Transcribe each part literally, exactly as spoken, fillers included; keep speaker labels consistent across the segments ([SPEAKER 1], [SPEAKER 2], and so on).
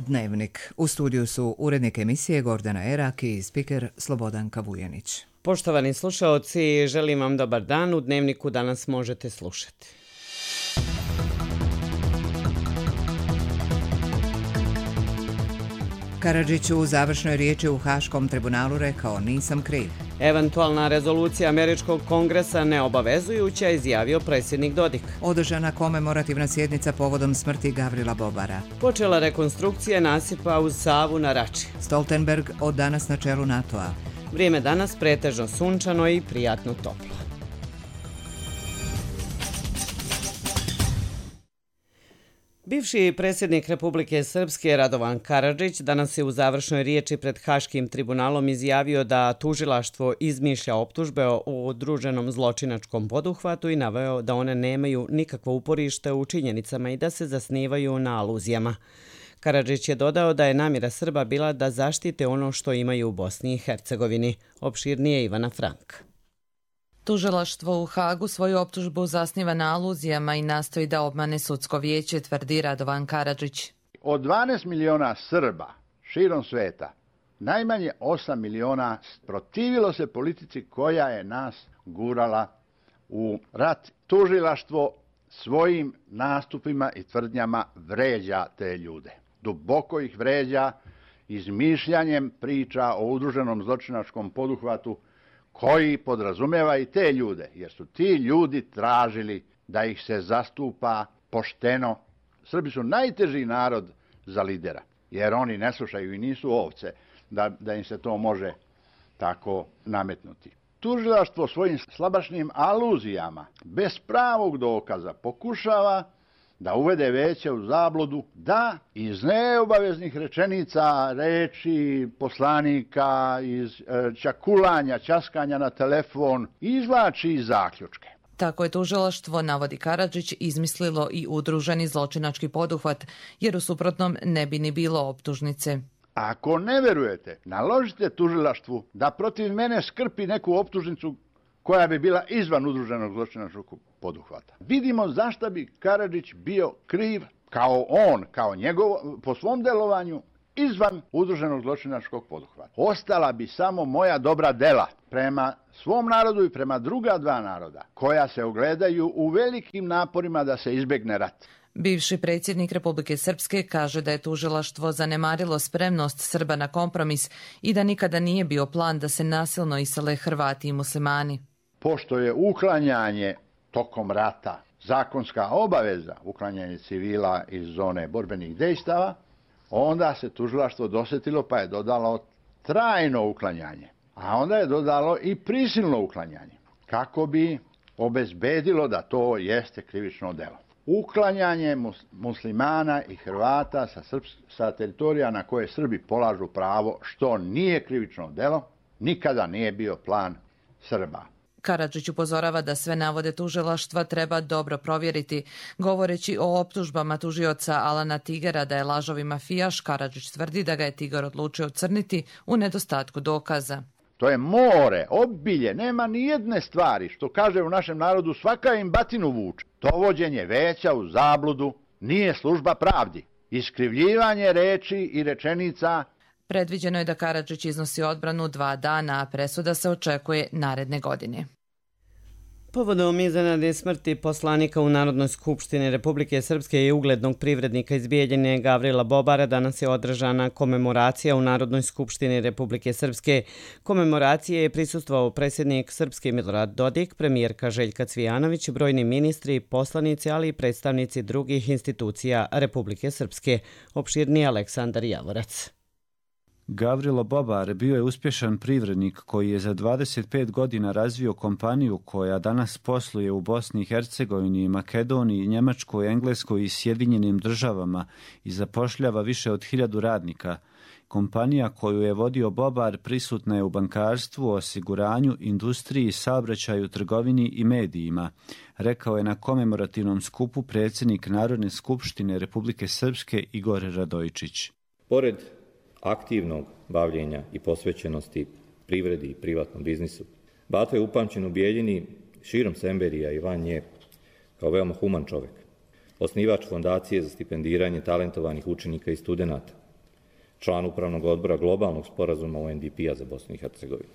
[SPEAKER 1] Dnevnik. U studiju su urednik emisije Gordana Erak i spiker Slobodanka Vujanić.
[SPEAKER 2] Poštovani slušaoci, želim vam dobar dan. U Dnevniku danas možete slušati.
[SPEAKER 1] Karadžić u završnoj riječi u Haškom tribunalu rekao: nisam kriv.
[SPEAKER 2] Eventualna rezolucija Američkog kongresa neobavezujuća, izjavio predsjednik Dodik.
[SPEAKER 1] Održana komemorativna sjednica povodom smrti Gavrila Bobara.
[SPEAKER 2] Počela rekonstrukcija nasipa uz Savu na Rači.
[SPEAKER 1] Stoltenberg od danas na čelu NATO-a.
[SPEAKER 2] Vrijeme danas pretežno sunčano i prijatno toplo. Bivši predsjednik Republike Srpske Radovan Karadžić danas je u završnoj riječi pred Haškim tribunalom izjavio da tužilaštvo izmišlja optužbe o udruženom zločinačkom poduhvatu i naveo da one nemaju nikakvo uporište u činjenicama i da se zasnivaju na aluzijama. Karadžić je dodao da je namjera Srba bila da zaštite ono što imaju u Bosni i Hercegovini. Opširnije Ivana Frank.
[SPEAKER 3] Tužilaštvo u Hagu svoju optužbu zasniva na aluzijama i nastoji da obmane sudsko vijeće, tvrdi Radovan Karadžić.
[SPEAKER 4] Od dvanaest miliona Srba širom sveta, najmanje osam miliona protivilo se politici koja je nas gurala u rat. Tužilaštvo svojim nastupima i tvrdnjama vređa te ljude. Duboko ih vređa izmišljanjem priča o udruženom zločinačkom poduhvatu koji podrazumeva i te ljude, jer su ti ljudi tražili da ih se zastupa pošteno. Srbi su najteži narod za lidera, jer oni ne slušaju i nisu ovce, da, da im se to može tako nametnuti. Tužilaštvo svojim slabašnim aluzijama, bez pravog dokaza, pokušava da uvede veće u zabludu, da iz neobaveznih rečenica, reči poslanika, iz e, čakulanja, ćaskanja na telefon, izvlači zaključke.
[SPEAKER 3] Tako je tužilaštvo, navodi Karadžić, izmislilo i udruženi zločinački poduhvat, jer u suprotnom ne bi ni bilo optužnice.
[SPEAKER 4] Ako ne verujete, naložite tužilaštvu da protiv mene skrpi neku optužnicu koja bi bila izvan udruženog zločinačkog poduhvata. Vidimo zašto bi Karadžić bio kriv kao on, kao njegov, po svom delovanju, izvan udruženog zločinačkog poduhvata. Ostala bi samo moja dobra dela prema svom narodu i prema druga dva naroda, koja se ogledaju u velikim naporima da se izbjegne rat.
[SPEAKER 3] Bivši predsjednik Republike Srpske kaže da je tužilaštvo zanemarilo spremnost Srba na kompromis i da nikada nije bio plan da se nasilno isele Hrvati i muslimani.
[SPEAKER 4] Pošto je uklanjanje tokom rata zakonska obaveza, uklanjanje civila iz zone borbenih dejstava, onda se tužilaštvo dosjetilo pa je dodalo trajno uklanjanje, a onda je dodalo i prisilno uklanjanje, kako bi obezbedilo da to jeste krivično delo. Uklanjanje muslimana i Hrvata sa, Srps, sa teritorija na koje Srbi polažu pravo, što nije krivično delo, nikada nije bio plan Srba.
[SPEAKER 3] Karadžić upozorava da sve navode tužilaštva treba dobro provjeriti. Govoreći o optužbama tužioca Alana Tigera da je lažovi mafijaš, Karadžić tvrdi da ga je Tiger odlučio crniti u nedostatku dokaza.
[SPEAKER 4] To je more, obilje, nema ni jedne stvari, što kaže u našem narodu svaka im batinu vuče. Dovođenje veća u zabludu nije služba pravdi. Iskrivljivanje reči i rečenica.
[SPEAKER 3] Predviđeno je da Karadžić iznosi odbranu dva dana, a presuda se očekuje naredne godine.
[SPEAKER 2] Povodom iznenadne smrti poslanika u Narodnoj skupštini Republike Srpske i uglednog privrednika iz Bijeljine Gavrila Bobara danas je održana komemoracija u Narodnoj skupštini Republike Srpske. Komemoracije je prisustvovao predsjednik Srpske Milorad Dodik, premijerka Željka Cvijanović, brojni ministri, poslanici, ali i predstavnici drugih institucija Republike Srpske. Opširniji Aleksandar Javorac.
[SPEAKER 5] Gavrilo Bobar bio je uspješan privrednik koji je za dvadeset pet godina razvio kompaniju koja danas posluje u Bosni i Hercegovini, Makedoniji, Njemačkoj, Engleskoj i Sjedinjenim državama i zapošljava više od hiljadu radnika. Kompanija koju je vodio Bobar prisutna je u bankarstvu, osiguranju, industriji, saobraćaju, trgovini i medijima, rekao je na komemorativnom skupu predsjednik Narodne skupštine Republike Srpske Igor Radojčić.
[SPEAKER 6] Pored aktivnog bavljenja i posvećenosti privredi i privatnom biznisu, Bato je upamćen u Bijeljini, širom Semberija i van nje, kao veoma human čovjek. Osnivač fondacije za stipendiranje talentovanih učenika i studenata, član upravnog odbora globalnog sporazuma U N D P-a za Bosnu i Hercegovinu.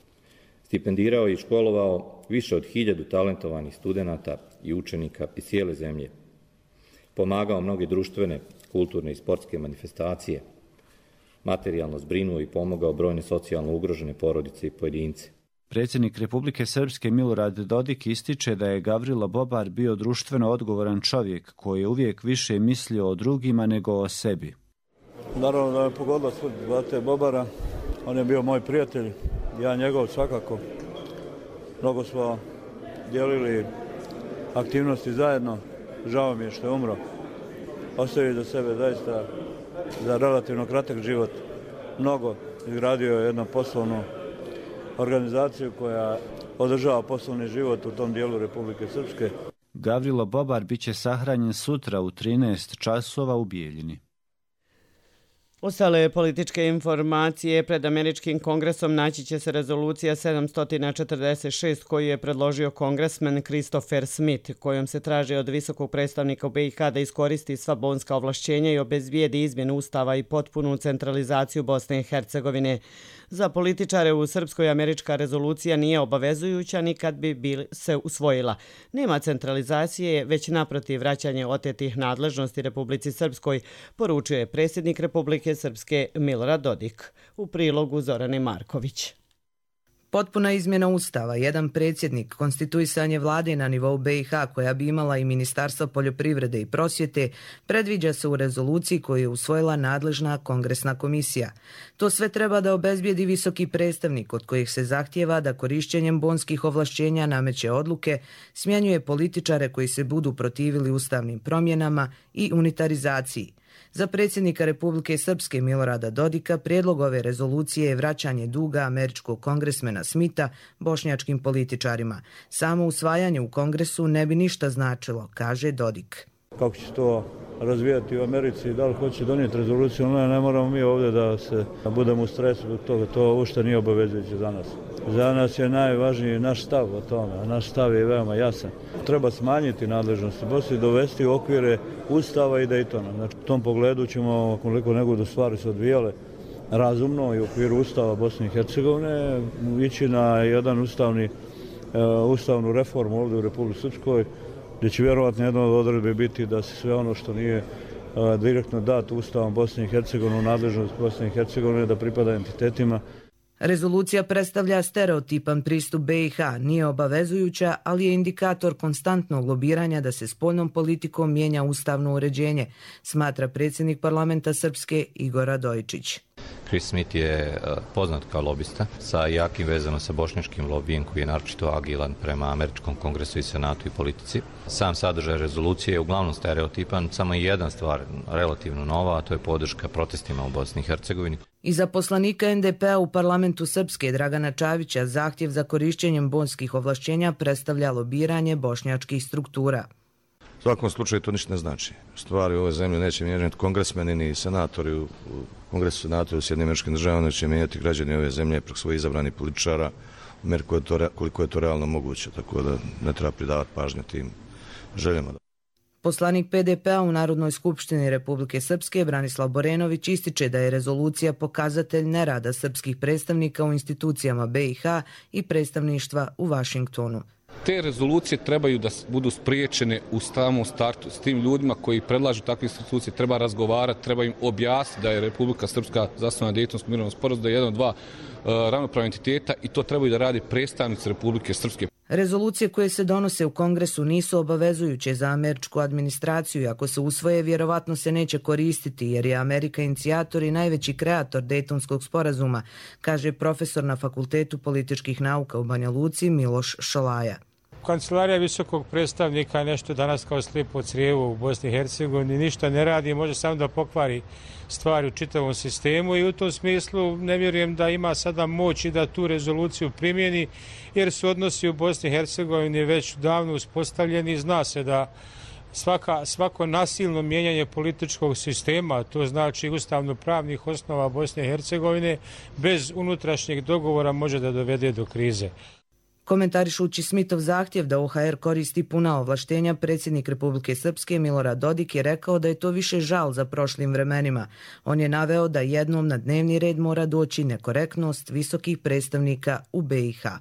[SPEAKER 6] Stipendirao i školovao više od hiljadu talentovanih studenata i učenika iz cijele zemlje. Pomagao mnoge društvene, kulturne i sportske manifestacije. Materijalno zbrinuo i pomogao brojne socijalno ugrožene porodice i pojedince.
[SPEAKER 5] Predsjednik Republike Srpske Milorad Dodik ističe da je Gavrilo Bobar bio društveno odgovoran čovjek koji je uvijek više mislio o drugima nego o sebi.
[SPEAKER 7] Naravno da me pogodila smrt Bate Bobara. On je bio moj prijatelj, ja njegov svakako. Mnogo smo dijelili aktivnosti zajedno. Žao mi je što je umro. Ostavio za sebe zaista za relativno kratak život mnogo. Izgradio je jednu poslovnu organizaciju koja održava poslovni život u tom dijelu Republike Srpske.
[SPEAKER 5] Gavrilo Bobar biće sahranjen sutra u trinaest časova u Bijeljini.
[SPEAKER 2] Ostale političke informacije pred Američkim kongresom naći će se rezolucija sedamsto četrdeset šest koju je predložio kongresmen Christopher Smith, kojom se traži od visokog predstavnika u B i H da iskoristi sva bonska ovlašćenja i obezbijedi izmjenu ustava i potpunu centralizaciju Bosne i Hercegovine. Za političare u Srpskoj američka rezolucija nije obavezujuća ni kad bi bil se usvojila. Nema centralizacije, već naprotiv vraćanje otetih nadležnosti Republici Srpskoj, poručuje predsjednik Republike Srpske Milorad Dodik. U prilogu Zorane Marković.
[SPEAKER 8] Potpuna izmjena ustava, jedan predsjednik, konstituisanje vlade na nivou B i H koja bi imala i Ministarstvo poljoprivrede i prosvjete, predviđa se u rezoluciji koju je usvojila nadležna kongresna komisija. To sve treba da obezbijedi visoki predstavnik od kojih se zahtijeva da korišćenjem bonskih ovlašćenja nameće odluke, smjenjuje političare koji se budu protivili ustavnim promjenama i unitarizaciji. Za predsjednika Republike Srpske Milorada Dodika prijedlog ove rezolucije je vraćanje duga američkog kongresmena Smitha bošnjačkim političarima. Samo usvajanje u kongresu ne bi ništa značilo, kaže Dodik.
[SPEAKER 7] Kako će to razvijati u Americi, da li hoće donijeti rezoluciju, ne, ne moramo mi ovdje da se da budemo u stresu zbog toga, to uopšte nije obavezujuće za nas. Za nas je najvažniji naš stav o tome, a naš stav je veoma jasan. Treba smanjiti nadležnosti Bosne i dovesti u okvire Ustava i Daytona. Znači, u tom pogledu ćemo, koliko nego da stvari se odvijale razumno i u okviru Ustava Bosne i Hercegovine, ići na jedan ustavni, uh, ustavnu reformu ovdje u Republici Srpskoj, gdje će vjerovatno jedna od odredbe biti da se sve ono što nije uh, direktno dato Ustavom Bosne i Hercegovine u nadležnost Bosne i Hercegovine da pripada entitetima.
[SPEAKER 8] Rezolucija predstavlja stereotipan pristup B i H, nije obavezujuća, ali je indikator konstantnog lobiranja da se spoljnom politikom mijenja ustavno uređenje, smatra predsjednik parlamenta Srpske Igor Radojičić.
[SPEAKER 9] Chris Smith je poznat kao lobista sa jakim vezama sa bošnjačkim lobijem koji je naročito agilan prema Američkom kongresu i senatu i politici. Sam sadržaj rezolucije je uglavnom stereotipan, samo je jedna stvar relativno nova, a to je podrška protestima u Bosni i Hercegovini.
[SPEAKER 8] I za poslanika N D P-a u parlamentu Srpske Dragana Čavića zahtjev za korišćenjem bonskih ovlašćenja predstavlja lobiranje bošnjačkih struktura.
[SPEAKER 10] U svakom slučaju to ništa ne znači. Stvari u ovoj zemlji neće mijenjati kongresmeni ni senatori u Kongresu senatora u Sjedinjenim Američkim Državama, neće mijenjati građani ove zemlje preko svojih izabranih političara u meri koliko je to realno moguće, tako da ne treba pridavati pažnju tim željama.
[SPEAKER 8] Poslanik P D P-a u Narodnoj skupštini Republike Srpske Branislav Borenović ističe da je rezolucija pokazatelj nerada srpskih predstavnika u institucijama B i H i predstavništva u Vašingtonu.
[SPEAKER 11] Te rezolucije trebaju da budu spriječene u samom startu. S tim ljudima koji predlažu takve institucije treba razgovarati, treba im objasniti da je Republika Srpska zasnovana na Dejtonskom mirovnom sporazumu, da je jedan od dva uh, ravnopravna entiteta i to trebaju da radi predstavnici Republike Srpske.
[SPEAKER 8] Rezolucije koje se donose u Kongresu nisu obavezujuće za američku administraciju i ako se usvoje, vjerovatno se neće koristiti jer je Amerika inicijator i najveći kreator Dejtonskog sporazuma, kaže profesor na Fakultetu političkih nauka u Banja Luci Miloš Šolaja.
[SPEAKER 12] Kancelarija visokog predstavnika je nešto danas kao slijepo crijevo u Bosni i Hercegovini, ništa ne radi, može samo da pokvari stvari u čitavom sistemu i u tom smislu ne vjerujem da ima sada moć i da tu rezoluciju primjeni jer su odnosi u Bosni i Hercegovini već davno uspostavljeni. Zna se da svaka, svako nasilno mijenjanje političkog sistema, to znači ustavno-pravnih osnova Bosne i Hercegovine, bez unutrašnjeg dogovora može da dovede do krize.
[SPEAKER 8] Komentarišući Smitov zahtjev da O H R koristi puna ovlaštenja, predsjednik Republike Srpske Milorad Dodik je rekao da je to više žal za prošlim vremenima. On je naveo da jednom na dnevni red mora doći nekorektnost visokih predstavnika u B i H.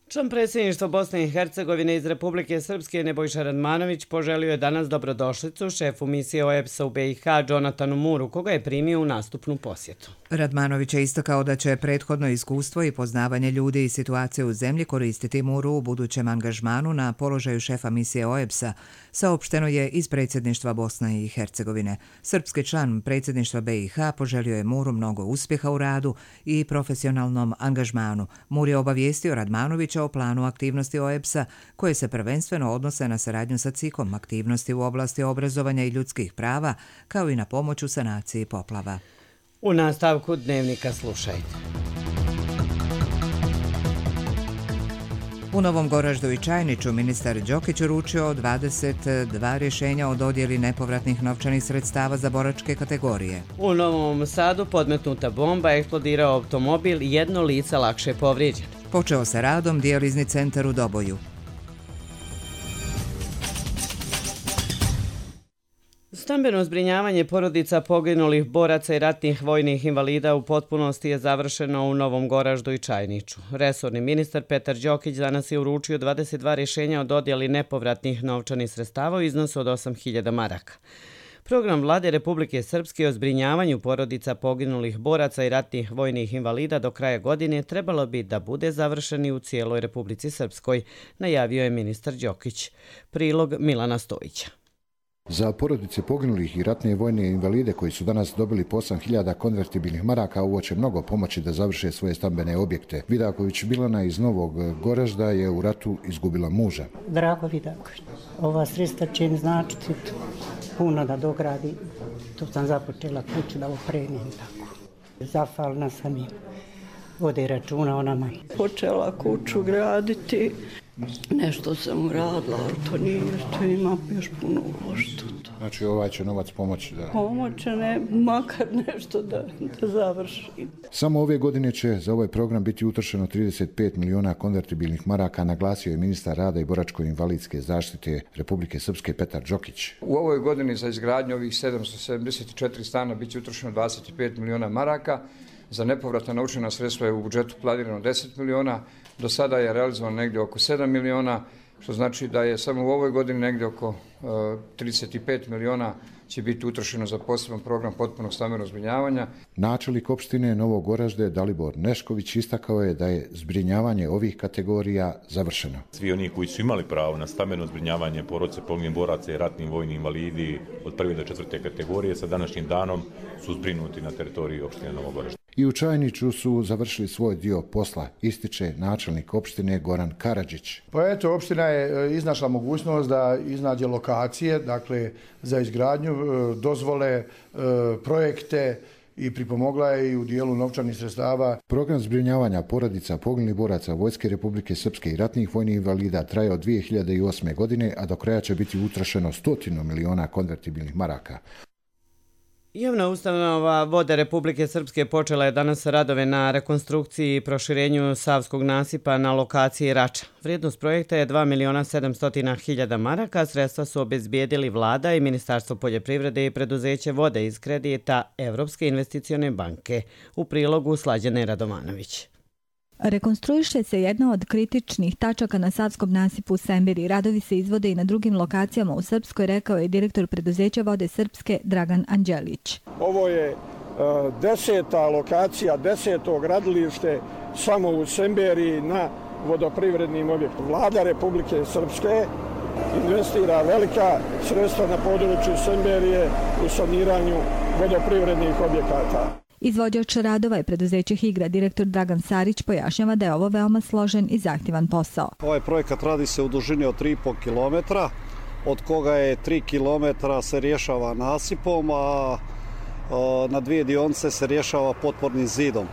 [SPEAKER 2] Član predsjedništva Bosne i Hercegovine iz Republike Srpske Nebojša Radmanović poželio je danas dobrodošlicu šefu misije O E B S-a u B i H Džonatanu Muru, koga je primio u nastupnu posjetu.
[SPEAKER 1] Radmanović je istakao da će prethodno iskustvo i poznavanje ljudi i situacije u zemlji koristiti Muru u budućem angažmanu na položaju šefa misije O E B S-a, saopšteno je iz predsjedništva Bosne i Hercegovine. Srpski član predsjedništva B i H poželio je Muru mnogo uspjeha u radu i profesionalnom angažmanu. Mur je obavijestio Radmanovića o planu aktivnosti O E B S-a koje se prvenstveno odnose na saradnju sa C I K-om, aktivnosti u oblasti obrazovanja i ljudskih prava, kao i na pomoć u sanaciji poplava.
[SPEAKER 2] U nastavku dnevnika slušajte.
[SPEAKER 1] U Novom Goraždu i Čajniću ministar Đokić uručio dvadeset dva rješenja o dodjeli nepovratnih novčanih sredstava za boračke kategorije.
[SPEAKER 2] U Novom Sadu podmetnuta bomba, eksplodirao automobil i jedno lice lakše povrijeđeno.
[SPEAKER 1] Počeo se radom dijalizni centar u Doboju.
[SPEAKER 2] Stambeno zbrinjavanje porodica poginulih boraca i ratnih vojnih invalida u potpunosti je završeno u Novom Goraždu i Čajniću. Resorni ministar Petar Đokić danas je uručio dvadeset dva rješenja o dodjeli nepovratnih novčanih sredstava u iznosu od osam hiljada maraka. Program Vlade Republike Srpske o zbrinjavanju porodica poginulih boraca i ratnih vojnih invalida do kraja godine trebalo bi da bude završen i u cijeloj Republici Srpskoj, najavio je ministar Đokić. Prilog Milana Stojića.
[SPEAKER 13] Za porodice poginulih i ratne vojne invalide koji su danas dobili po osam hiljada konvertibilnih maraka, ovo će mnogo pomoći da završe svoje stambene objekte. Vidaković Milana iz Novog Goražda je u ratu izgubila muža.
[SPEAKER 14] Drago Vidaković, ova sredstva će im značiti puno da dogradi. Tu sam započela kuću da opremim tako. Zahvalna sam im. Vode računa o nama.
[SPEAKER 15] Počela kuću graditi. Nešto sam uradila, ali to nije, što ima još puno uložiti.
[SPEAKER 13] Znači ovaj će novac pomoći da...
[SPEAKER 15] Pomoće ne, makar nešto da, da završi.
[SPEAKER 13] Samo ove godine će za ovaj program biti utrošeno trideset pet miliona konvertibilnih maraka, naglasio je ministar rada i boračko-invalidske zaštite Republike Srpske Petar Đokić.
[SPEAKER 16] U ovoj godini za izgradnju ovih sedamsto sedamdeset četiri stana bit će utrošeno dvadeset pet miliona maraka. Za nepovratna novčana sredstva je u budžetu planirano deset miliona, do sada je realizovano negdje oko sedam miliona, što znači da je samo u ovoj godini negdje oko uh, trideset pet miliona će biti utrošeno za poseban program potpunog stambenog zbrinjavanja.
[SPEAKER 13] Načelnik opštine Novog Goražde Dalibor Nešković istakao je da je zbrinjavanje ovih kategorija završeno.
[SPEAKER 17] Svi oni koji su imali pravo na stambeno zbrinjavanje porodice poginulih boraca i ratnih vojnih invalidi od prve do četvrte kategorije sa današnjim danom su zbrinuti na teritoriji opštine Novog Goražda.
[SPEAKER 13] I u Čajniću su završili svoj dio posla, ističe načelnik opštine Goran Karadžić.
[SPEAKER 18] Pa eto, opština je iznašla mogućnost da iznađe lokacije, dakle za izgradnju, dozvole, projekte i pripomogla je i u dijelu novčanih sredstava.
[SPEAKER 13] Program zbrinjavanja porodica poginulih boraca Vojske Republike Srpske i ratnih vojnih invalida traje od dvije hiljade osme. godine, a do kraja će biti utrošeno stotinu miliona konvertibilnih maraka.
[SPEAKER 2] Javna ustanova Vode Republike Srpske počela je danas radove na rekonstrukciji i proširenju Savskog nasipa na lokaciji Rača. Vrijednost projekta je dva miliona sedamsto hiljada maraka, sredstva su obezbijedili Vlada i Ministarstvo poljoprivrede i preduzeće Vode iz kredita Evropske investicione banke. U prilogu Slađane Radovanović.
[SPEAKER 19] Rekonstruiše se jedna od kritičnih tačaka na Savskom nasipu u Sembiri. Radovi se izvode i na drugim lokacijama u Srpskoj, rekao je direktor preduzeća Vode Srpske Dragan Anđelić.
[SPEAKER 20] Ovo je uh, deseta lokacija, deseto gradilište samo u Sembiri na vodoprivrednim objektima. Vlada Republike Srpske investira velika sredstva na području Semberije u saniranju vodoprivrednih objekata.
[SPEAKER 19] Izvođač radova je preduzeće Higra. Direktor Dragan Sarić pojašnjava da je ovo veoma složen i zahtjevan posao.
[SPEAKER 21] Ovaj projekat radi se u dužini od tri i po kilometra, od koga je tri kilometra se rješava nasipom, a na dvije dionice se rješava potpornim zidom.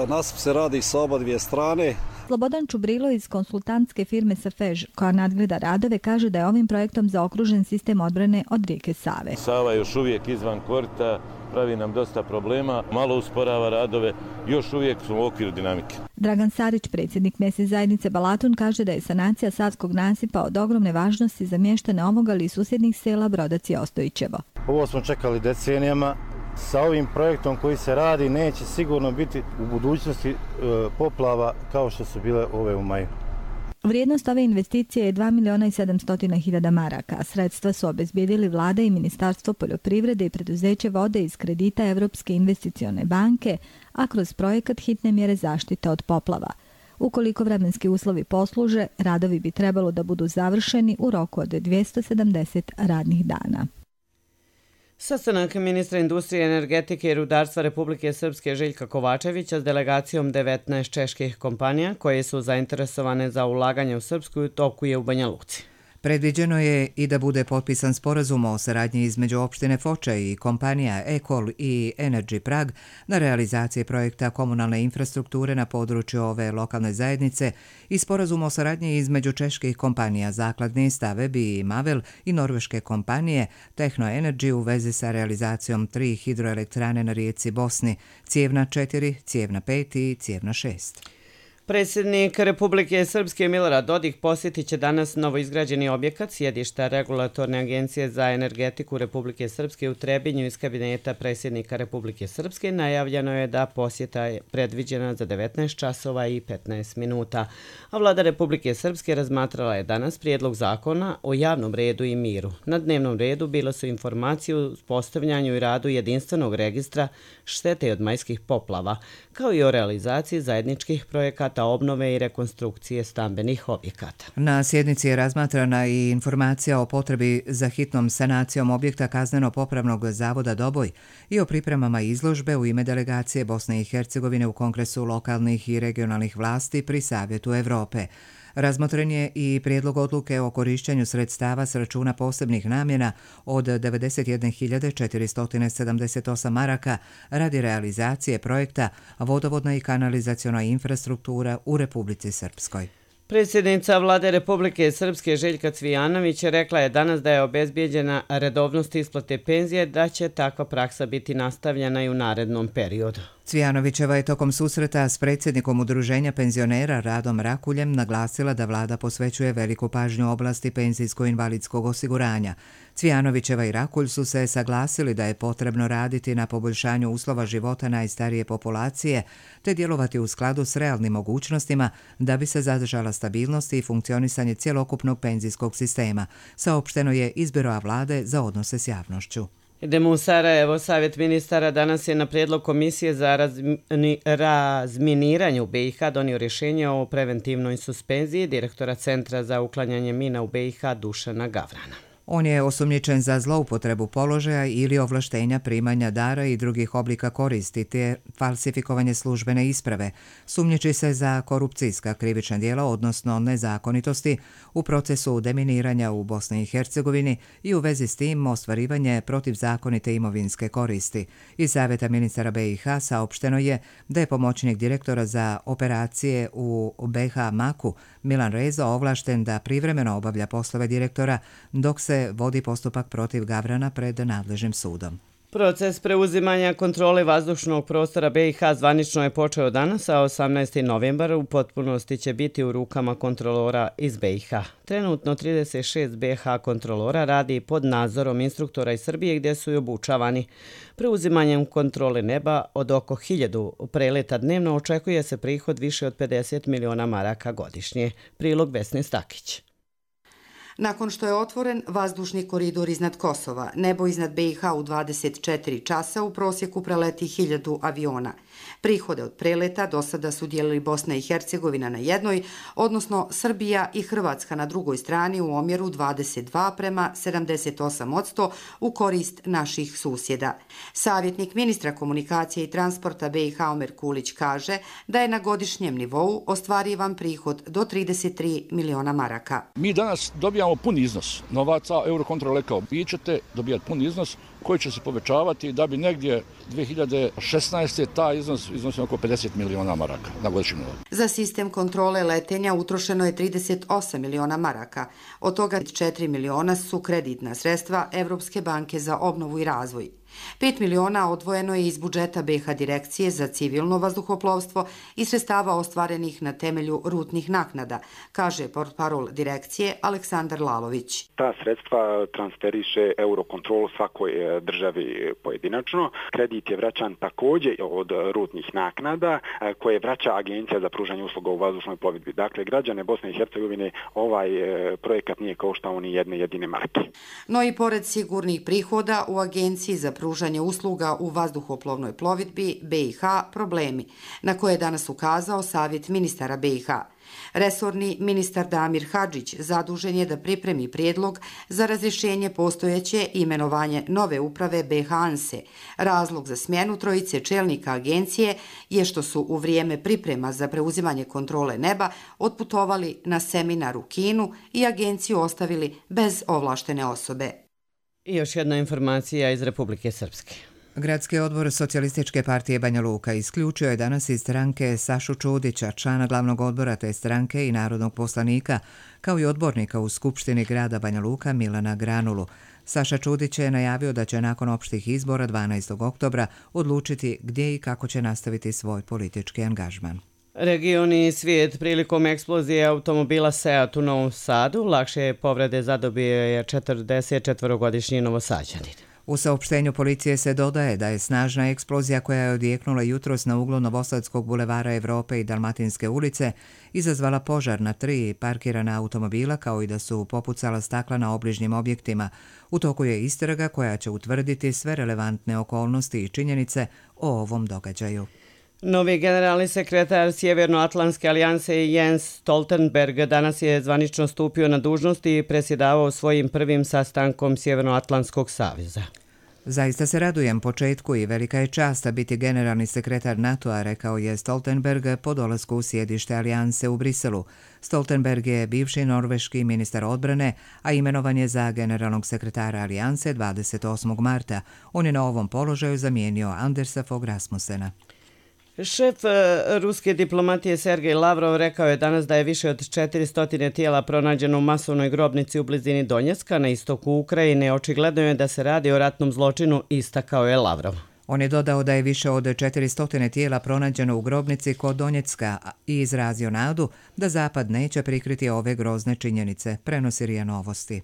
[SPEAKER 21] Nasip se radi sa oba dvije strane.
[SPEAKER 19] Slobodan Čubrilo iz konsultantske firme Safež, koja nadgleda radove, kaže da je ovim projektom zaokružen sistem odbrane od rijeke Save.
[SPEAKER 22] Sava je još uvijek izvan korita
[SPEAKER 4] pravi nam dosta problema, malo usporava radove, još uvijek smo u okviru dinamike.
[SPEAKER 19] Dragan Sarić, predsjednik mjesne zajednice Balatun, kaže da je sanacija savskog nasipa od ogromne važnosti za mještane ovog, ali i susjednih sela Brodac i Ostojićevo.
[SPEAKER 22] Ovo smo čekali decenijama. Sa ovim projektom koji se radi neće sigurno biti u budućnosti e, poplava kao što su bile ove u maju.
[SPEAKER 19] Vrijednost ove investicije je dva miliona i sedamsto hiljada maraka. Sredstva su obezbijedili vlada i Ministarstvo poljoprivrede i preduzeće vode iz kredita Evropske investicione banke, a kroz projekat hitne mjere zaštite od poplava. Ukoliko vremenski uslovi posluže, radovi bi trebalo da budu završeni u roku od dvjesto sedamdeset radnih dana.
[SPEAKER 2] Sastanak ministra industrije, energetike i rudarstva Republike Srpske Željka Kovačevića s delegacijom devetnaest čeških kompanija koje su zainteresovane za ulaganje u Srpsku u toku je u Banja Luci.
[SPEAKER 1] Predviđeno je i da bude potpisan sporazum o saradnji između opštine Foča i kompanija Ekol i Energy Prag na realizaciji projekta komunalne infrastrukture na području ove lokalne zajednice i sporazum o saradnji između čeških kompanija Zakladni, Stavebi i Mavel i norveške kompanije Tehno Energy u vezi sa realizacijom tri hidroelektrane na rijeci Bosni, Cijevna četiri, Cijevna pet i Cijevna šest.
[SPEAKER 2] Predsjednik Republike Srpske Milorad Dodik posjetit će danas novoizgrađeni objekat sjedišta Regulatorne agencije za energetiku Republike Srpske u Trebinju iz kabineta predsjednika Republike Srpske. Najavljeno je da posjeta je predviđena za devetnaest časova i petnaest minuta. A vlada Republike Srpske razmatrala je danas prijedlog zakona o javnom redu i miru. Na dnevnom redu bilo su informacije o postavljanju i radu jedinstvenog registra štete od majskih poplava, kao i o realizaciji zajedničkih projekata obnove i rekonstrukcije stambenih objekata.
[SPEAKER 1] Na sjednici je razmatrana i informacija o potrebi za hitnom sanacijom objekta Kazneno-popravnog zavoda Doboj i o pripremama izložbe u ime delegacije Bosne i Hercegovine u Kongresu lokalnih i regionalnih vlasti pri Savjetu Evrope. Razmotren je i prijedlog odluke o korišćenju sredstava s računa posebnih namjena od devedeset jedne hiljade četiristo sedamdeset osam maraka radi realizacije projekta vodovodna i kanalizaciona infrastruktura u Republici Srpskoj.
[SPEAKER 2] Predsjednica vlade Republike Srpske Željka Cvijanović rekla je danas da je obezbijeđena redovnost isplate penzije, da će takva praksa biti nastavljena i u narednom periodu.
[SPEAKER 1] Cvijanovićeva je tokom susreta s predsjednikom Udruženja penzionera Radom Rakuljem naglasila da vlada posvećuje veliku pažnju oblasti penzijsko-invalidskog osiguranja. Cvijanovićeva i Rakulj su se saglasili da je potrebno raditi na poboljšanju uslova života najstarije populacije te djelovati u skladu s realnim mogućnostima da bi se zadržala stabilnost i funkcionisanje cjelokupnog penzijskog sistema, saopšteno je iz Biroa vlade za odnose s javnošću.
[SPEAKER 2] Idemo u Sarajevo. Savjet ministara danas je na prijedlog Komisije za razmi, razminiranje u be i ha donio rješenje o preventivnoj suspenziji direktora Centra za uklanjanje mina u be i ha Dušana Gavrana.
[SPEAKER 1] On je osumnjičen za zloupotrebu položaja ili ovlaštenja primanja dara i drugih oblika koristi te falsifikovanje službene isprave. Sumnjiči se za korupcijska krivična djela, odnosno nezakonitosti u procesu deminiranja u Bosni i Hercegovini i u vezi s tim ostvarivanje protivzakonite imovinske koristi. Iz Savjeta ministara be i ha saopšteno je da je pomoćnik direktora za operacije u be ha Maku Milan Rezo ovlašten da privremeno obavlja poslove direktora dok se vodi postupak protiv Gavrana pred nadležnim sudom.
[SPEAKER 2] Proces preuzimanja kontrole vazdušnog prostora be i ha zvanično je počeo danas, a osamnaesti novembar u potpunosti će biti u rukama kontrolora iz be i ha. Trenutno trideset šest be ha kontrolora radi pod nadzorom instruktora iz Srbije gdje su i obučavani. Preuzimanjem kontrole neba od oko hiljadu preleta dnevno očekuje se prihod više od pedeset miliona maraka godišnje. Prilog Vesne Stakić.
[SPEAKER 23] Nakon što je otvoren vazdušni koridor iznad Kosova, nebo iznad be i ha u dvadeset četiri časa u prosjeku preleti hiljadu aviona. Prihode od preleta do sada su dijelili Bosna i Hercegovina na jednoj, odnosno Srbija i Hrvatska na drugoj strani u omjeru dvadeset dva prema sedamdeset osam odsto u korist naših susjeda. Savjetnik ministra komunikacije i transporta be i ha Omer Kulić kaže da je na godišnjem nivou ostvarivan prihod do trideset tri miliona maraka.
[SPEAKER 24] Mi danas dobijamo pun iznos novaca, Eurocontrol rekao, vi ćete dobijati pun iznos koji će se povećavati da bi negdje dvije hiljade šesnaeste taj iznos iznosio oko pedeset miliona maraka na godišnjem nivou.
[SPEAKER 23] Za sistem kontrole letenja utrošeno je trideset osam miliona maraka. Od toga četiri miliona su kreditna sredstva Evropske banke za obnovu i razvoj. Pet miliona odvojeno je iz budžeta B iH direkcije za civilno vazduhoplovstvo i sredstava ostvarenih na temelju rutnih naknada, kaže portparol direkcije Aleksandar Lalović.
[SPEAKER 3] Ta sredstva transferiše Eurocontrol svakoj državi pojedinačno. Kredit je vraćan također od rutnih naknada koje vraća Agencija za pružanje usluga u vazdušnoj plovidbi. Dakle, građane Bosne i Hercegovine ovaj projekat nije koštao ni jedne jedine marke.
[SPEAKER 23] No i pored sigurnih prihoda u Agenciji za pružanje usluga u vazduhoplovnoj plovidbi B iH problemi, na koje je danas ukazao Savjet ministara B iH. Resorni ministar Damir Hadžić zadužen je da pripremi prijedlog za razrješenje postojeće i imenovanje nove uprave B iH ANSE. Razlog za smjenu trojice čelnika agencije je što su u vrijeme priprema za preuzimanje kontrole neba otputovali na seminar u Kinu i agenciju ostavili bez ovlaštene osobe.
[SPEAKER 2] I još jedna informacija iz Republike Srpske.
[SPEAKER 1] Gradski odbor Socijalističke partije Banja Luka isključio je danas iz stranke Sašu Čudića, člana glavnog odbora te stranke i narodnog poslanika, kao i odbornika u Skupštini grada Banja Luka Milana Granulu. Saša Čudić je najavio da će nakon opštih izbora dvanaestog oktobra odlučiti gdje i kako će nastaviti svoj politički angažman.
[SPEAKER 2] Region i svijet prilikom eksplozije automobila Seat u Novom Sadu lakše povrede zadobio je četrdesetčetvorogodišnji Novosađanin.
[SPEAKER 1] U saopštenju policije se dodaje da je snažna eksplozija koja je odjeknula jutros na uglu Novosadskog bulevara Evrope i Dalmatinske ulice izazvala požar na tri parkirana automobila kao i da su popucala stakla na obližnjim objektima. U toku je istraga koja će utvrditi sve relevantne okolnosti i činjenice o ovom događaju.
[SPEAKER 2] Novi generalni sekretar Sjevernoatlantske alijanse Jens Stoltenberg danas je zvanično stupio na dužnost i predsjedavao svojim prvim sastankom Sjevernoatlantskog saveza.
[SPEAKER 1] Zaista se radujem početku i velika je čast biti generalni sekretar NATO-a, rekao je Stoltenberg po dolasku u sjedište alijanse u Briselu. Stoltenberg je bivši norveški ministar odbrane, a imenovan je za generalnog sekretara alijanse dvadeset osmog marta. On je na ovom položaju zamijenio Andersa Fogh Rasmussena.
[SPEAKER 2] Šef ruske diplomatije Sergej Lavrov rekao je danas da je više od četiristo tijela pronađeno u masovnoj grobnici u blizini Donjecka na istoku Ukrajine. Očigledno je da se radi o ratnom zločinu, istakao je Lavrov.
[SPEAKER 1] On je dodao da je više od četiristo tijela pronađeno u grobnici kod Donjecka i izrazio nadu da Zapad neće prikriti ove grozne činjenice, prenosi R I A Novosti.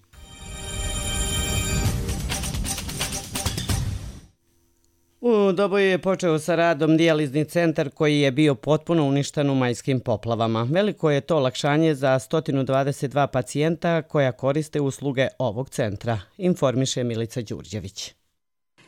[SPEAKER 2] U Doboju je počeo sa radom dijalizni centar koji je bio potpuno uništen u majskim poplavama. Veliko je to olakšanje za sto dvadeset dva pacijenta koja koriste usluge ovog centra, informiše Milica Đurđević.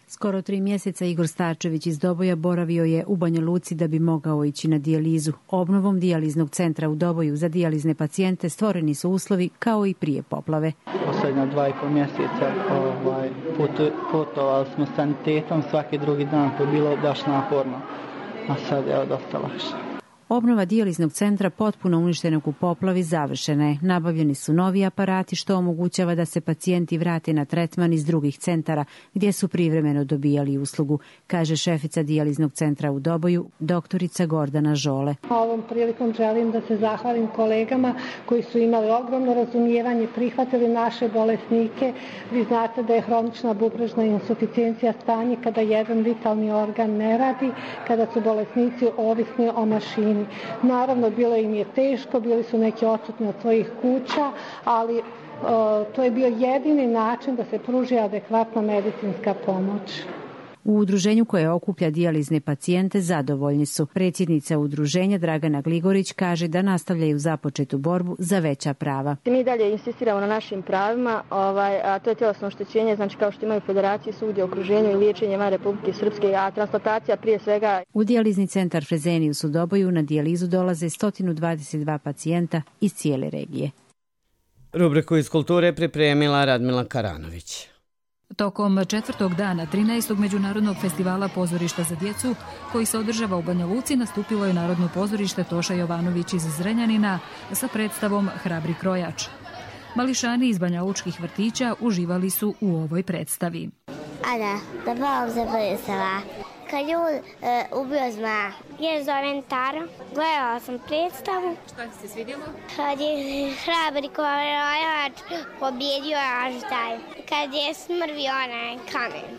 [SPEAKER 5] Skoro tri mjeseca Igor Starčević iz Doboja boravio je u Banja Luci da bi mogao ići na dijalizu. Obnovom dijaliznog centra u Doboju za dijalizne pacijente stvoreni su uslovi kao i prije poplave.
[SPEAKER 6] Posljednja dva i pol mjeseca ovaj, putu, putovali smo sanitetom svaki drugi dan, to je bilo baš naporno, a sad je dosta lakše.
[SPEAKER 5] Obnova dijaliznog centra potpuno uništenog u poplavi završena je. Nabavljeni su novi aparati što omogućava da se pacijenti vrate na tretman iz drugih centara gdje su privremeno dobijali uslugu, kaže šefica dijaliznog centra u Doboju, doktorica Gordana Žole.
[SPEAKER 7] Ovom prilikom želim da se zahvalim kolegama koji su imali ogromno razumijevanje, prihvatili naše bolesnike. Vi znate da je hronična bubrežna insuficijencija stanje kada jedan vitalni organ ne radi, kada su bolesnici ovisni o mašini. Naravno, bilo im je teško, bili su neki odsutni od svojih kuća, ali e, to je bio jedini način da se pruži adekvatna medicinska pomoć.
[SPEAKER 5] U udruženju koje okuplja dijalizne pacijente zadovoljni su. Predsjednica udruženja Dragana Gligorić kaže da nastavljaju započetu borbu za veća prava.
[SPEAKER 25] Mi dalje insistiramo na našim pravima, ovaj, a to je tjelesno oštećenje, znači kao što imaju federacije svugdje u okruženju i liječenje van Republike Srpske, a transplantacija prije svega.
[SPEAKER 5] U dijalizni centar Fresenius u Doboju na dijalizu dolaze sto dvadeset dva pacijenta iz cijele regije.
[SPEAKER 2] Rubriku iz kulture pripremila Radmila Karanović.
[SPEAKER 26] Tokom četvrtog dana trinaestog Međunarodnog festivala pozorišta za djecu, koji se održava u Banja Luci, nastupilo je Narodno pozorište Toša Jovanović iz Zrenjanina sa predstavom Hrabri krojač. Mališani iz banjalučkih vrtića uživali su u ovoj predstavi.
[SPEAKER 27] Ana, da bom se predstava. Kad je on e, ubio zma. Je zovem Tara. Gledala sam predstavu.
[SPEAKER 26] Šta ti se svidjelo?
[SPEAKER 27] Kad je Hrabri krojač pobjedio Aždaj. Kad je smrvio onaj kamen.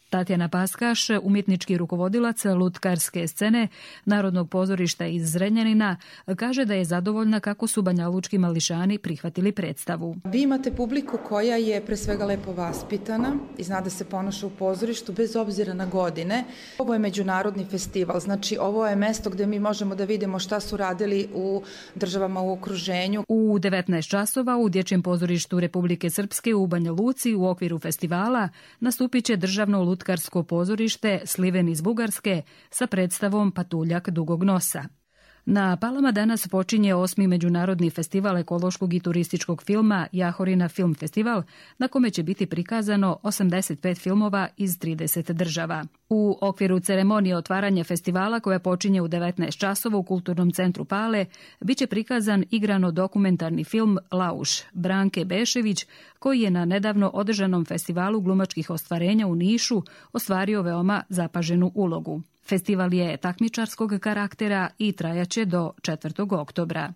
[SPEAKER 26] Tatjana Paskaš, umjetnički rukovodilac lutkarske scene Narodnog pozorišta iz Zrenjanina, kaže da je zadovoljna kako su banjalučki mališani prihvatili predstavu.
[SPEAKER 8] Vi imate publiku koja je pre svega lepo vaspitana i zna da se ponaša u pozorištu bez obzira na godine. Ovo je međunarodni festival, znači ovo je mesto gdje mi možemo da vidimo šta su radili u državama u okruženju.
[SPEAKER 26] U devetnaest časova u Dječjem pozorištu Republike Srpske u Banja Luci u okviru festivala nastupit će državno lutkarsko pozorište Sliven iz Bugarske sa predstavom Patuljak dugog nosa. Na Palama danas počinje osmi međunarodni festival ekološkog i turističkog filma Jahorina Film Festival, na kome će biti prikazano osamdeset pet filmova iz trideset država. U okviru ceremonije otvaranja festivala, koja počinje u devetnaest časova u Kulturnom centru Pale, bit će prikazan igrano-dokumentarni film Lauš Branke Bešević, koji je na nedavno održanom festivalu glumačkih ostvarenja u Nišu ostvario veoma zapaženu ulogu. Festival je takmičarskog karaktera i trajaće do četvrtog oktobra.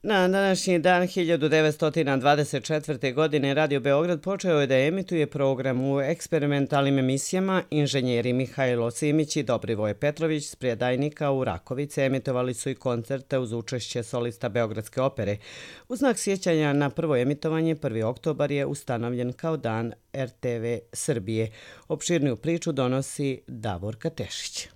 [SPEAKER 2] Na današnji dan hiljadu devetsto dvadeset četvrte. godine Radio Beograd počeo je da emituje program u eksperimentalnim emisijama. Inženjeri Mihajlo Simić i Dobrivoje Petrović s Prijedajnika u Rakovici emitovali su i koncerte uz učešće solista Beogradske opere. U znak sjećanja na prvo emitovanje prvi oktobar je ustanovljen kao dan er te ve Srbije. Opširniju priču donosi Davorka Tešić.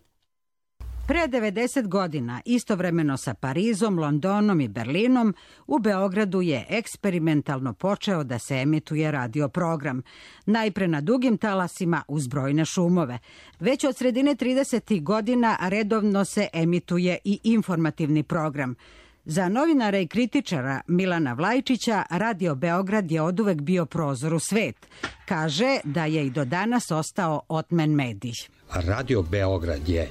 [SPEAKER 9] Pre devedeset godina, istovremeno sa Parizom, Londonom i Berlinom, u Beogradu je eksperimentalno počeo da se emituje radio program. Najpre na dugim talasima uz brojne šumove. Već od sredine tridesetih godina redovno se emituje i informativni program. Za novinara i kritičara Milana Vlajčića, Radio Beograd je oduvek bio prozor u svet. Kaže da je i do danas ostao otmen medij.
[SPEAKER 10] Radio Beograd je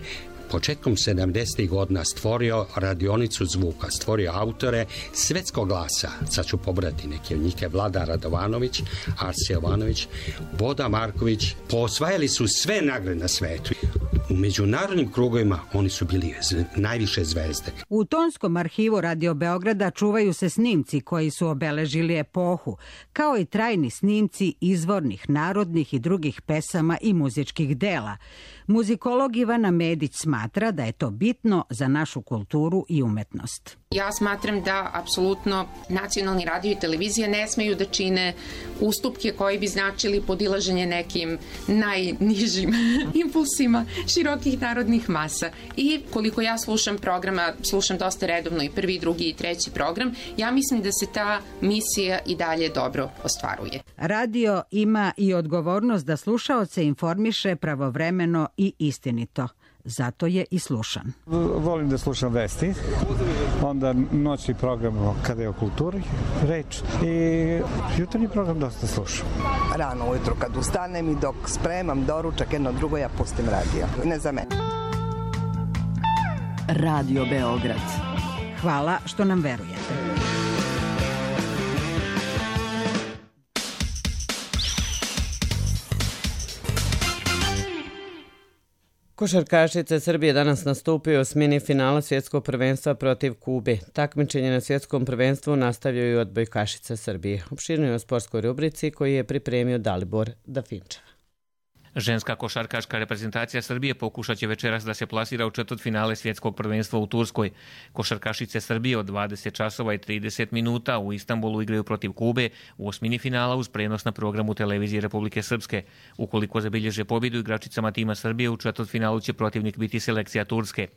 [SPEAKER 10] početkom sedamdesetih godina stvorio radionicu zvuka, stvorio autore svetskog glasa. Sad ću pobrati neke od njih, Vlada Radovanović, Arsi Jovanović, Boda Marković. Posvajali su sve nagrade na svetu. U međunarodnim krugovima oni su bili najviše zvezde.
[SPEAKER 9] U tonskom arhivu Radio Beograda čuvaju se snimci koji su obeležili epohu, kao i trajni snimci izvornih, narodnih i drugih pesama i muzičkih dela. Muzikolog Ivana Medić smatra da je to bitno za našu kulturu i umetnost.
[SPEAKER 11] Ja smatram da apsolutno nacionalni radio i televizija ne smeju da čine ustupke koji bi značili podilaženje nekim najnižim impulsima širokih narodnih masa. I koliko ja slušam programa, slušam dosta redovno i prvi, drugi i treći program, ja mislim da se ta misija i dalje dobro ostvaruje.
[SPEAKER 9] Radio ima i odgovornost da slušaoce informiše pravovremeno i istinito. Zato je i slušan.
[SPEAKER 12] Volim da slušam vesti, onda noćni program kada je o kulturi reč i jutarnji program dosta slušam.
[SPEAKER 14] Rano ujutro kad ustanem i dok spremam doručak jedno drugo ja pustim radio. Ne za mene.
[SPEAKER 9] Radio Beograd. Hvala što nam verujete.
[SPEAKER 2] Košarkašice Srbije danas nastupio s mini finala svjetskog prvenstva protiv Kube. Takmičenje na svjetskom prvenstvu nastavljaju i odbojkašice Srbije. Opširno o sportskoj rubrici koju je pripremio Dalibor Dafinča.
[SPEAKER 15] Ženska košarkaška reprezentacija Srbije pokušat će večeras da se plasira u četvrtfinale svjetskog prvenstva u Turskoj. Košarkašice Srbije od dvadeset časova i trideset minuta u Istanbulu igraju protiv Kube u osmini finala uz prenos na programu televizije Republike Srpske. Ukoliko zabilježe pobjedu igračicama tima Srbije, u četvrtfinalu će protivnik biti selekcija Turske.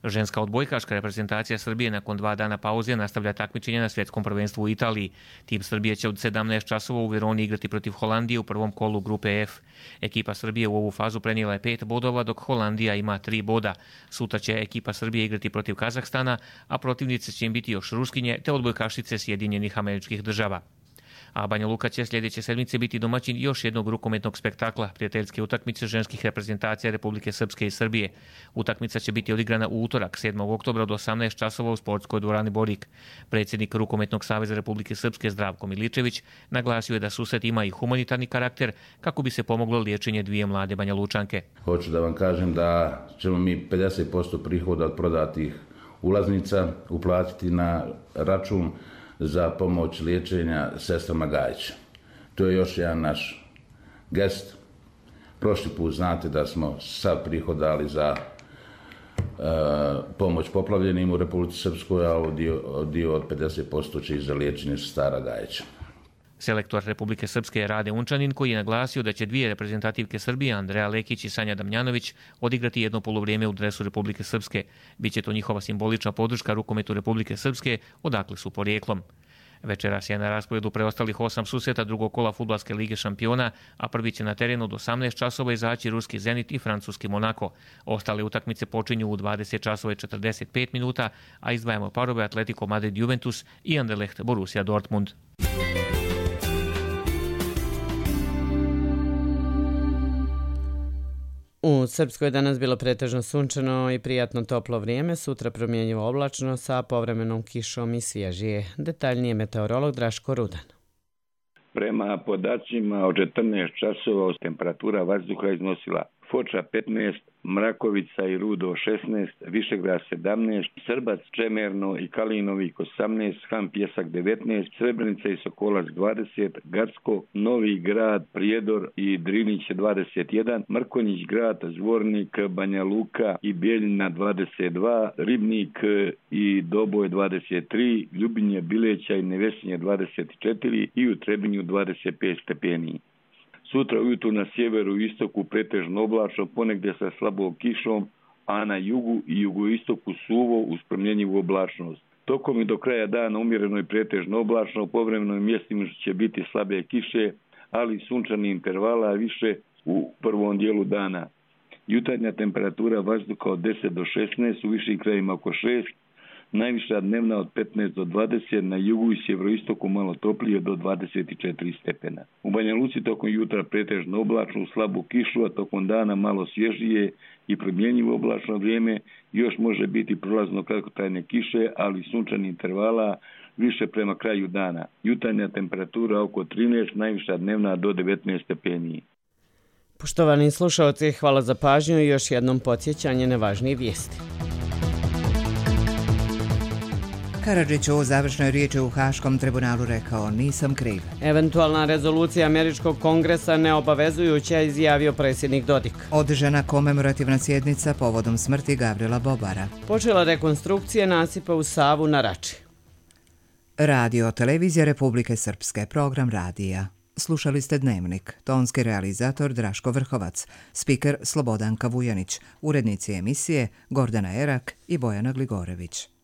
[SPEAKER 15] Ženska odbojkaška reprezentacija Srbije nakon dva dana pauze nastavlja takmičenje na svjetskom prvenstvu u Italiji. Tim Srbije će od sedamnaest časova u Veroni igrati protiv Holandije u prvom kolu grupe F. Ekipa Srbije u ovu fazu prenijela je pet bodova, dok Holandija ima tri boda. Sutra će ekipa Srbije igrati protiv Kazahstana, a protivnice će im biti još Ruskinje te odbojkašice Sjedinjenih Američkih Država. A Banja Luka će sljedeće sedmice biti domaćin još jednog rukometnog spektakla, prijateljske utakmice ženskih reprezentacija Republike Srpske i Srbije. Utakmica će biti odigrana u utorak, sedmog oktobra od osamnaest časova u sportskoj dvorani Borik. Predsjednik Rukometnog saveza Republike Srpske Zdravko Miličević naglasio je da susret ima i humanitarni karakter kako bi se pomoglo liječenje dvije mlade Banja Lučanke.
[SPEAKER 28] Hoću da vam kažem da ćemo mi pedeset posto prihoda od prodatih ulaznica uplatiti na račun za pomoć liječenja sestrama Gajića. To je još jedan naš gest Prošli put znate da smo sav prihod dali za e, pomoć poplavljenim u Republici Srpskoj, a dio, dio od pedeset posto će i za liječenje Stara Gajeća.
[SPEAKER 15] Selektor Republike Srpske je Rade Unčanin, koji je naglasio da će dvije reprezentativke Srbije, Andreja Lekić i Sanja Damjanović, odigrati jedno poluvrijeme u dresu Republike Srpske. Biće to njihova simbolična podrška rukometu Republike Srpske, odakle su porijeklom. Večeras je na rasporedu preostalih osam susreta drugog kola Fudbalske lige šampiona, a prvi će na terenu od osamnaest časova izaći ruski Zenit i francuski Monako. Ostale utakmice počinju u dvadeset časova i četrdeset pet minuta, a izdvajamo parove Atletico Madrid Juventus i Anderlecht Borussia Dortmund.
[SPEAKER 2] U Srpskoj je danas bilo pretežno sunčano i prijatno toplo vrijeme, sutra promjenjivo oblačno sa povremenom kišom i svježije. Detaljnije meteorolog Draško Rudan.
[SPEAKER 4] Prema podacima od četrnaest časova temperatura vazduha iznosila Foča petnaest, Mrakovica i Rudo šesnaest, Višegrad sedamnaest, Srbac, Čemerno i Kalinovik osamnaest, Han Pjesak devetnaest, Srebrenica i Sokolac dvadeset, Gacko, Novi Grad, Prijedor i Drinić dvadeset jedan, Mrkonjić Grad, Zvornik, Banja Luka i Bijeljina dvadeset dva, Ribnik i Doboj dvadeset tri, Ljubinje, Bileća i Nevesinje dvadeset četiri i u Trebinju dvadeset pet stepeni. Sutra ujutru na sjeveru i istoku pretežno oblačno, ponegdje sa slabom kišom, a na jugu i jugoistoku suvo uz promjenjivu oblačnost. Tokom i do kraja dana umjereno i pretežno oblačno, povremeno mjestima će biti slabe kiše, ali sunčani intervala više u prvom dijelu dana. Jutarnja temperatura vazduha od deset do šesnaest, u višim krajima oko šest, najviša dnevna od petnaest do dvadeset, na jugu i sjeveroistoku malo toplije do dvadeset četiri stepena. U Banja Luci tokom jutra pretežno oblačno, slabu kišu, a tokom dana malo svježije i promjenjivo oblačno vrijeme, još može biti prolazno kratkotrajne kiše, ali sunčani intervala više prema kraju dana. Jutarnja temperatura oko trinaest, najviša dnevna do devetnaest stepeni.
[SPEAKER 2] Poštovani slušalci, hvala za pažnju i još jednom podsjećanje na važnije vijesti.
[SPEAKER 1] Karadžić u završnoj riječi u Haškom tribunalu rekao: nisam kriv.
[SPEAKER 2] Eventualna rezolucija Američkog kongresa neobavezujuća, izjavio predsjednik Dodik.
[SPEAKER 1] Održana komemorativna sjednica povodom smrti Gavrila Bobara.
[SPEAKER 2] Počela rekonstrukcija nasipa u Savu na Rači.
[SPEAKER 1] Radio Televizija Republike Srpske, program radija. Slušali ste Dnevnik, tonski realizator Draško Vrhovac, spiker Slobodanka Vujanić, urednici emisije Gordana Erak i Bojana Gligorević.